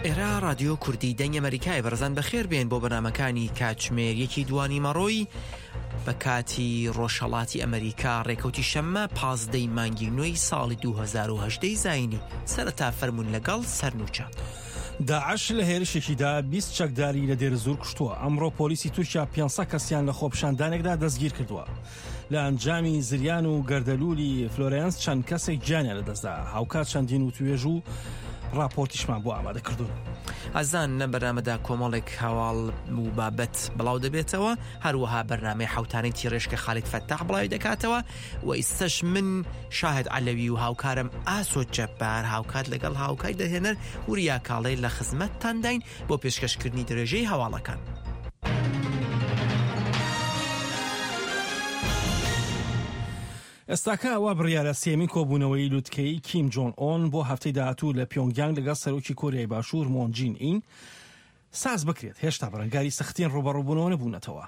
ئێرە ڕادیۆ کوردی دەنگی ئەمەریکایە بەڕێزان بەخێر بێن بۆ بەرنامەکانی کاتژمێر یەکی دوانیمەڕۆی بە کاتی ڕۆژهەڵاتی ئەمریکا ڕێکەوتی شەممە پازدەی مانگی نوێی ساڵی 2010 زینی سەرەتا فەرمونون لەگەڵ سەرنوچە. داعش لە هێرشێکیدا 20 چەکداری لە دێرزور کوشتووە ئەمڕۆ پۆلیسی تورکیا 500 کەسیان لە خۆپیشاندانێکدا دەستگیر کردووە لە ئەنجامی زریان و گەردەلوولی فلۆرێنس چەند کەسێک گیانیان لەدەستدا، هاوکات چەندین وتوێژ و ڕاپۆرتیشمان بۆ ئامادە کردوون. ئازان لەم بەرنامەدا کۆمەڵێک هەواڵ و بابەت بڵاو دەبێتەوە، هەروەها بەرنامەی حەوتانەی تیڕێژ کە خالید فەتاح بڵاوی دەکاتەوە و ئیستەش من شاهد عەلەوی و هاوکارم ئاسۆ جەبار هاوکات لەگەڵ هاوکاری دەرهێنەر وریا کاڵێ لە خزمەتتانداین بۆ پێشکەشکردنی درێژەی هەواڵەکان. ئێستاکە وا بڕیارە سێیەمین کۆبوونەوەی لوتکەیی کیم جۆن ئۆن بۆ هەفتەی داهاتوو لە پیۆنگیانگ لەگەڵ سەرۆکی کۆریای باشوور مۆن جین ئین ساز بکرێت، هێشتا بەرەنگاری سەختترین ڕووبەڕووبوونەوە نەبوونەتەوە.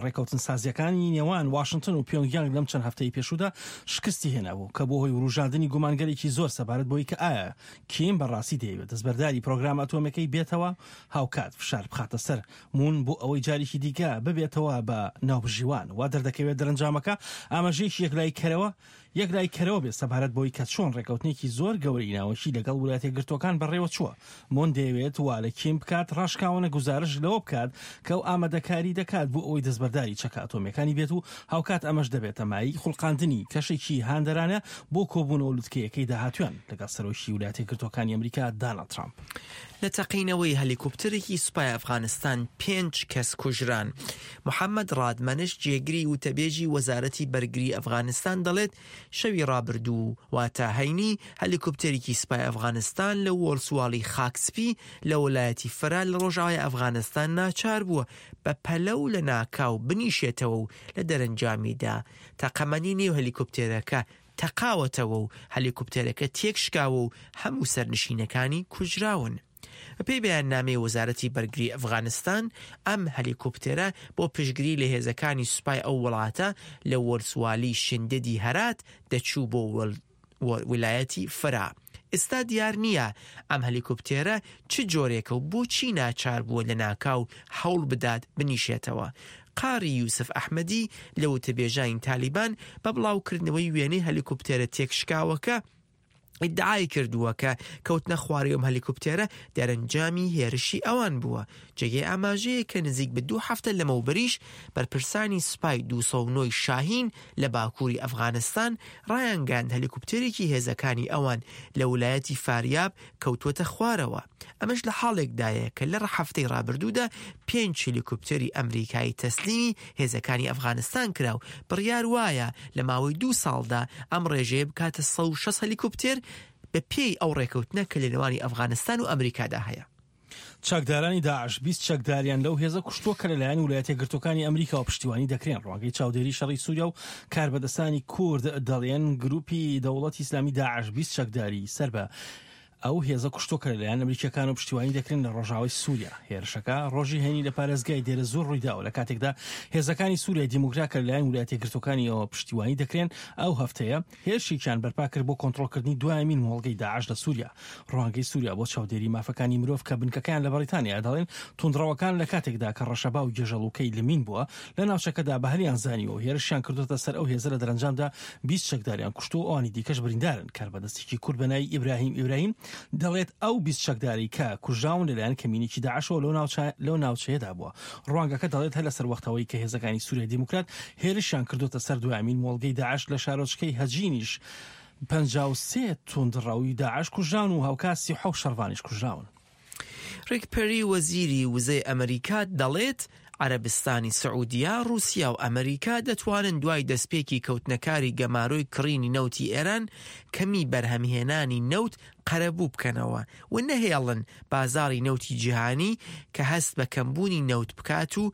ڕێکەوتنسازییەکانی نێوان واشنتن و پیۆنگیانگ لەم چەند هەفتەی پێشوودا شکستی هێنابوو، کە بووە هۆی وروژاندنی گومانگەلێکی زۆر سەبارەت بەوەی کە ئایا کیم بە ڕاستی دەیەوێت دەستبەرداری پرۆگرامە ئەتۆمییەکەی بێتەوە، هاوکات فشار بخاتە سەر مون بۆ ئەوەی جارێکی دیکە ببێتەوە بە ناوبژیوان. وا دەردەکەوێت دەرەنجامەکە ئاماژەیەکی یەکلاییکەرەوە یەکلاییکەرەوە بێت سەبارەت بەوەی کە چۆن ڕێککەوتنێکی زۆر گەورەی ناوەکی لەگەڵ ویلایەتە یەکگرتووەکان بەڕێوەچووە. مون دەیەوێت وا لە کیم بکات ڕاشکاوانە گوزارشت لەوە بکات کە ئەو ئامادەکاری دەکات بۆ ئەوەی دەستبەرداری چەکە ئەتۆمییەکانی بێت و هاوکات ئەمەش دەبێتە مایەی خوڵقاندنی کەشێکی هاندەرانە بۆ کۆبوونەوە لوتکەیەکەی داهاتوویان لەگەڵ سەرۆکی ویلایەتە یەکگرتووەکانی ئەمریکا داناڵد ترامپ. لە تەقینەوەی هەلیکۆپتەرێکی سوپای ئەفغانستان پێنج کەس کوژران. محەمەد ڕادمەنش جێگری وتەبێژی وەزارەتی بەرگری ئەفغانستان دەڵێت شەوی ڕابردوو واتە هەینی هەلیکۆپتەرێکی سوپای ئەفغانستان لە وۆلسواڵی خاک سپی لە وەلایەتی فەرا لە ڕۆژاوای ئەفغانستان ناچار بووە بە پەلە و لەناکاو بنیشێتەوە و لە دەرەنجامیدا تەقەمەنی نێو هەلیکۆپتێرەکە تەقاوەتەوە و هەلیکۆپتەرەکە تێکشکاوە و هەموو سەرنشینەکانی کوژراون. بەپێی بەیاننامەی وەزارەتی بەرگری ئەفغانستان، ئەم هەلیکۆپتێرە بۆ پشتگری لە هێزەکانی سوپای ئەو وڵاتە لە وەلسوالی شنددی هەرات دەچوو بۆ ویلایەتی فرا. ئێستا دیار نییە ئەم هەلیکۆپتێرە چ جۆرێکە و بۆچی ناچار بووە لەناکاو هەوڵ بدات بنیشێتەوە. قاری یوسف ئەحمەدی لە وتەبێژانی تالیبان بە بڵاوکردنەوەی وێنەی هەلیکۆپتێرە تێکشکاوەکە ئیدعای کردووە کە کەوتنە خوارەی ئەم هەلیکۆپتێرە دەرەنجامی هێرشی ئەوان بووە. جێگەی ئاماژەیە کە نزیک بە دوو هەفتە لەمەوبەریش بەرپرسانی سوپای 209 شاهین لە باکووری ئەفغانستان ڕایانگەیاند هەلیکۆپتێرێکی هێزەکانی ئەوان لە ولایەتی فاریاب کەوتووەتە خوارەوە. ئەمەش لە حاڵێکدایە کە لە هەفتەی ڕابردوودا پێنج هێلیکۆپتەری ئەمریکایی تەسلیمی هێزەکانی ئەفغانستان کرا و بڕیار وایە لە ماوەی دوو ساڵدا ئەم ڕێژەیە بکاتە 160 هەلیکۆپتێر بە پێی ئەو ڕێکەوتنە کە لە نێوانی ئەفغانستان و ئەمریکادا هەیە. چەکدارانی داعش 20 چەکداریان لەو هێزە کوشتووە کە لەلایەن ویلایەتە یەکگرتووەکانی ئەمریکاوە پشتیوانی دەکرێن. ڕوانگەی چاودێری شەڕی سووریا و کاربەدەستانی کورد دەڵێن گرووپی دەوڵەتی ئیسلامی داعش 20 چەکداری سەر بە ئەو هێزە کوشتووە کە لەلایەن ئەمریکییەکانەوە پشتیوانی دەکرێن لە ڕۆژاوای سووریا. هێرشەکە ڕۆژی هەینی لە پارێزگای دێرەزوور ڕوویداوە، لە کاتێکدا هێزەکانی سووریای دیموکرات کە لەلایەن ویلایەتە یەکگرتووەکانیەوە پشتیوانی دەکرێن، ئەو هەفتەیە هێرشێکیان بەرپا کرد بۆ کۆنترۆڵکردنی دوایەمین مۆڵگەی داعش لە سووریا. ڕوانگەی سووریا بۆ چاودێری مافەکانی مرۆڤ کە بنکەکەیان لە بەڕیتانیایە دەڵێن توندڕەوەکان لە کاتێکدا کە ڕەشەبا و گێژەڵوکەی لمین بووە لە ناوچەکەدا بە هەلیان زانیوە و هێرشیان کردووەتە سەر ئەو هێزە لە دەرەنجامدا 20 چەکداریان کوشتووە و ئەوانی دیکەش بریندارن. کاربەدەستێکی کورد بە ناوی ئیبراهیم ئیبراهیم دەڵێت ئەو 20 چەکدارەی کە کوژراون لەلایەن کەمینێکی داعشەوە لەو ناوچە لەو ناوچەیەدا بووە. ڕوانگەکە دەڵێت هەر لەسەر وەختەوەی کە هێزەکانی سوریای دیموکرات هێرشیان کردووەتە سەر دوایەمین مۆڵگەی داعش لە شارۆچکەی هەجینیش 53 توندڕەوی داعش کوژراون و هاوکات 37 شەڕڤانیش کوژراون. ڕیک پێری وەزیری وزەی ئەمریکا دەڵێت، عەرەبستانی سعودیە، ڕووسیا و ئەمریکا دەتوانن دوای دەستپێکی کەوتنەکاری گەمارۆی کڕینی نەوتی ئێران، کەمی بەرهەمهێنانی نەوت قەرەبوو بکەنەوە و نەهێڵن بازاڕی نەوتی جیهانی کە هەست بە کەمبوونی نەوت بکات و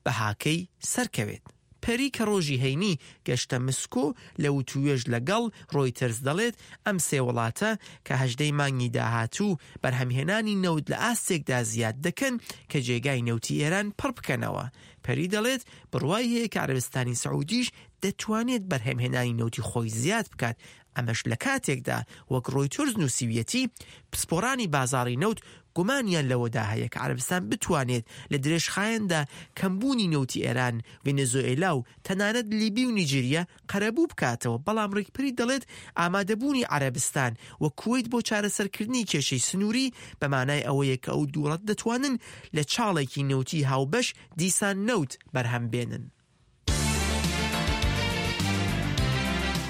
بەهاکەی سەرکەوێت. پەری کە ڕۆژی هەینی گەشتە مسکۆ لە وتووێژ لە گەڵ ڕۆیتەرز دەڵێت ئەم سێ وڵاتە کە هەژدەی مانگی داهاتوو بەرهەمهێنانی نەوت لە ئاستێکدا زیاد دەکەن کە جێگای نەوتی ئێران پڕ بکەنەوە. پەری دەڵێت بڕوای هەیە کە عەرەبستانی سعودیش دەتوانێت بەرهەمهێنانی نەوتی خۆی زیاد بکات. ئەمەش لە کاتێکدا وەک ڕۆیتۆرز نووسیویەتی، پسپۆڕانی بازاڕی نەوت گومانیان لەوەدا هەیە کە عەرەبستان بتوانێت لە درێژخایەندا کەمبوونی نەوتی ئێران، ڤەنزۆئێلا و تەنانەت لیبی و نیجریە قەرەبوو بکاتەوە، بەڵام ڕیکپری دەڵێت ئامادەبوونی عەرەبستان و کوەیت بۆ چارەسەرکردنی کێشەی سنووری بە مانای ئەوەیە کە ئەو دوو وڵاتە دەتوانن لە چاڵێکی نەوتی هاوبەش دیسان نەوت بەرهەم بێنن.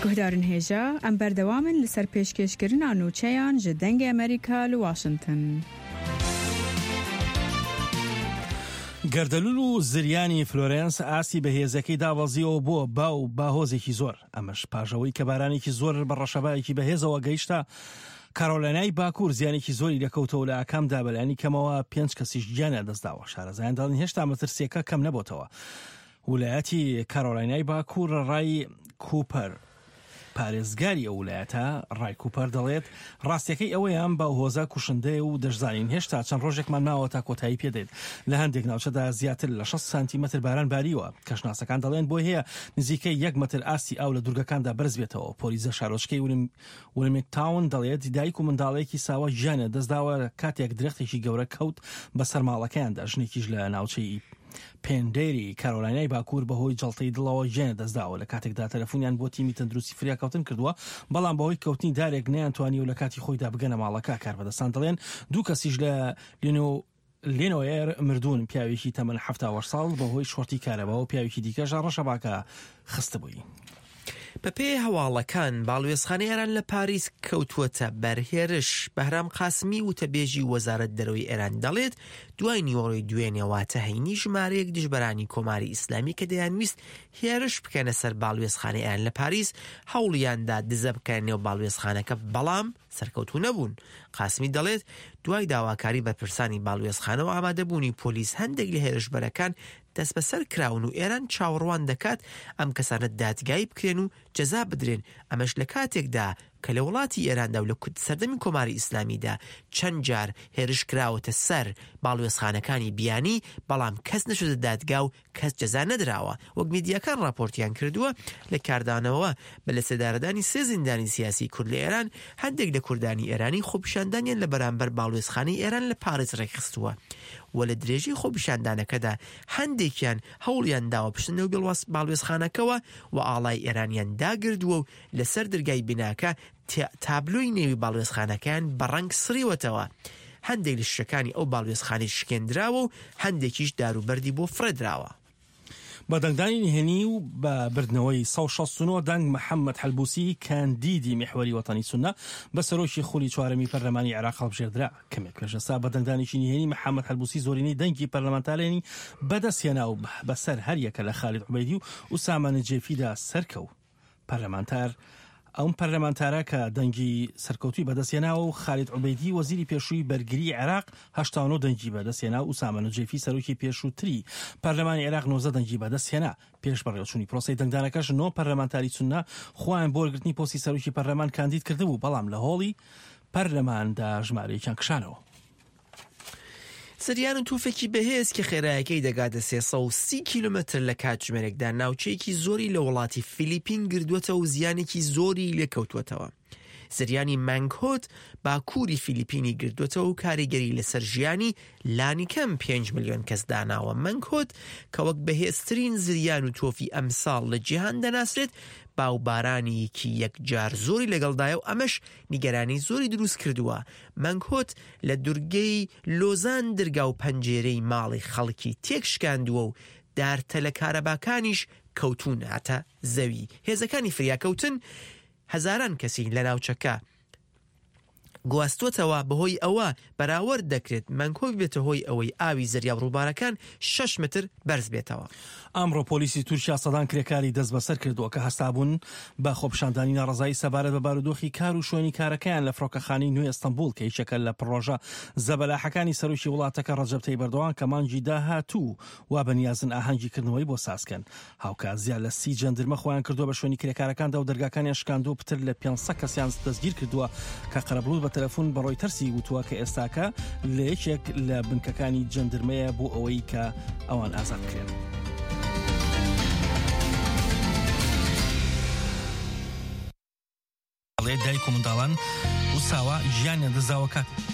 Guhdarên hêja, em berdewam in li ser pêşkêşkirina nûçeyan ji Dengê Amerîka li Washington. گەردەلوول و زریانی فلۆرێنس ئاستی بەهێزەکەی دابەزیەوە بۆ با و باهۆزێکی زۆر، ئەمەش پاش ئەوەی کە بارانێکی زۆر بە ڕەشەبایەکی بەهێزەوە گەیشتە کارۆلینای باکوور زیانێکی زۆری لێکەوتەوە لە ئاکامدا بەلایەنی کەمەوە پێنج کەسیش گیانیان لەدەستداوە شارەزایان دەڵێن هێشتا مەترسیەکە کەم نەبۆتەوە ولایەتی کارۆلاینای باکوور ڕای کوپەر پارێزگاری ئەو ولایەتە ڕای کوپەر دەڵێت ڕاستیەکەی ئەوەیە ئەم باوهۆزە کوشندەیە و دەشزانین هێشتا چەند ڕۆژێکمان ماوە تا کۆتایی پێدێت لە هەندێک ناوچەدا زیاتر لە 60 سانتیمەتر باران باریوە کەشناسەکان دەڵێن بۆی هەیە نزیکەی یەک مەتر ئاستی ئاو لە دوورگەکاندا بەرز بێتەوە پۆلیس لە شارۆچکەی ولمیتاون دەڵێت دایک و منداڵێکی ساوا گیانیان دەستداوە کاتێک درەختێکی گەورە کەوت بەسەر ماڵەکەیاندا ژنێکیش لە ناوچەی پێندێری کارۆلاینای باکوور بەهۆی جەڵتەی دڵەوە گیانی لەدەستداوە لە کاتێکدا تەلەفونیان بۆ تیمی تەندروستی فریاکەوتن کردووە بەڵام بەهۆی کەوتنی دارێک نەیانتوانیوە لە کاتی خۆیدا بگەنە ماڵەکە کاربەدەستان دەڵێن دوو کەسیش لە لینۆ لینۆیەر مردوون پیاوێکی تەمەن 78 ساڵ بەهۆی شۆرتی کارەبا و پیاوێکی دیکەش ڕەشەباکە خستبووی. بەپێی هەواڵەکان، باڵوێزخانەی ئێران لە پاریس کەوتووەتە بەر هێرش. بەهرام قاسمی وتەبێژی وەزارەت دەرەوەی ئێران دەڵێت، دوای نیوەڕۆی دوێنێ واتە هەینی ژمارەیەک دژبەرانی کۆماری ئیسلامی کە دەیانویست هێرش بکەنە سەر باڵوێزخانەی ئێران لە پاریس، هەوڵیاندا دزە بکەنە نێو باڵوێزخانەکە بەڵام سەرکەوتوو نەبوون. قاسمی دەڵێت، دوای داواکاری بەرپرسانی باڵوێزخانە و ئامادەبوونی پۆلیس هەندێک لە هێرشبەرەکان دەستبەسەر کراون و ئێران چاوەڕوان دەکات ئەم کەسانە دادگایی بکرێن و جەزا بدرێن، ئەمەش لە کاتێکدا کە لە وڵاتی ئێراندا و لە سەردەمی کۆماری ئیسلامیدا چەند جار هێرش کراوەتە سەر باڵوێزخانەکانی بیانی، بەڵام کەس نەچۆتە دادگا و کەس جەزا نەدراوە، وەک میدیاکان ڕاپۆرتیان کردووە، لە کاردانەوە بە لەسێدارەدانی سێ زیندانی سیاسی کورد لە ئێران، هەندێک لە کوردانی ئێرانی خۆپیشاندانیان لە بەرامبەر باڵوێزخانەی ئێران لە پاریس ڕێکخستووە و لە درێژەی خۆپیشاندانەکەدا هەندێکیان هەوڵیان داوە بچنە نێو باڵوێزخانەکەوە و ئاڵای ئێرانیان داگردووە و لەسەر درگای بیناکە تابلۆی نێوی باڵوێزخانەکەیان بە ڕەنگ سڕیوەتەوە. هەندێک لە شیشەکانی ئەو باڵوێزخانەی شکێندراوە و هەندێکیش دار و بەردی بۆ فڕێدراوە. بە دەنگدانی نهێنی و بە بردنەوەی 169 دەنگ محەممەد حەلبوسی کاندیدی میحوەری وەتەنی سوننە بە سەرۆکی خولی چوارەمی پەرلەمانی عێراق هەڵبژێردرا. کەمێک پێش ئێستا بە دەنگدانێکی نهێنی محەممەد حەلبوسی زۆرینەی دەنگی پەرلەمانتارانی بەدەستهێنا و بەسەر هەریەکە لە خالید عوبەیدی و ئوسامە نجێفیدا سەرکەوت. پەرلەمانتار ئەم پەرلەمانتارە کە دەنگی سەرکەوتووی بەدەستهێناوە و خالید عوبەیدی وەزیری پێشووی بەرگریی عێراق 89 دەنگی بەدەستهێنا و ئوسامە نوجێفی سەرۆکی پێشووتری پەرلەمانی عێراق 19 دەنگی بەدەستهێنا. پێش بەڕێوەچوونی پرۆسەی دەنگدانەکەش نۆ پەرلەمانتاری سوننە خۆیان بۆ وەرگرتنی پۆستی سەرۆکی پەرلەمان کاندید کردبوو، بەڵام لە هۆڵی پەرلەماندا ژمارەیەکیان کشانەوە. زریان و توفێکی بەهێز کە خێرایەکەی دەگاتە 330 کیلۆمەتر لە کاتژمێرێکدا ناوچەیەکی زۆری لە وڵاتی فیلیپین گردووەتەوە و زیانێکی زۆری لێکەوتووەتەوە. زریانی مانگهۆت باکووری فیلیپینی گردووەتەوە و کاریگەری لەسەر ژیانی لانیکەم 5 ملیۆن کەس داناوە. مانگهۆت کە وەک بەهێزترین زریان و تۆفی ئەمساڵ لە جیهان دەناسرێت، باوبارانێکی یەکجار زۆری لەگەڵدایە و ئەمەش نیگەرانی زۆری دروست کردووە. مەنگهۆت لە دورگەی لۆزان درگا و پەنجێرەی ماڵی خەڵکی تێکشکاندووە و دارتەلە کارەباکانیش کەوتوونەتە زەوی. هێزەکانی فریاکەوتن هەزاران کەسی لە ناوچەکە گواستووەتەوە، بەهۆی ئەوە بەراوەرد دەکرێت مەنگهۆ ببێتە هۆی ئەوەی ئاوی زەریا و ڕووبارەکان شەش مەتر بەرز بێتەوە. ئەمڕۆ پۆلیسی تورکیا سەدان کرێکاری دەستبەسەر کردووە کە هەستابوون بە خۆپیشاندانی ناڕەزایی سەبارەت بە بارودۆخی کار و شوێنی کارەکەیان لە فڕۆکەخانەی نوێی ئەستەنبوڵ کە یەکێکە لە پڕۆژە زەبەلاحەکانی سەرۆکی وڵاتەکە ڕەجەب تەیب ئەردۆغان کە مانگی داهاتوو وا بەنیازن ئاهەنگی کردنەوەی بۆ سازکەن. هاوکات زیاد لە سی جەندرمە خۆیان کردووە بە شوێنی کرێکارەکاندا و دەرگاکانیان شکاندووە و پتر لە 500 کەسیان دەستگیر کردووە کە قەرەبڵوت بە تەلەفون بە ڕۆیتەرسی وتووە کە ئێستاکە لە یەکێک لە بنکەکانی جەندرمەیە بۆ ئەوەی کە ئەوان ئازاد بکرێن. و منداڵان و ساوا گیانیان دەستداوە کاتێک.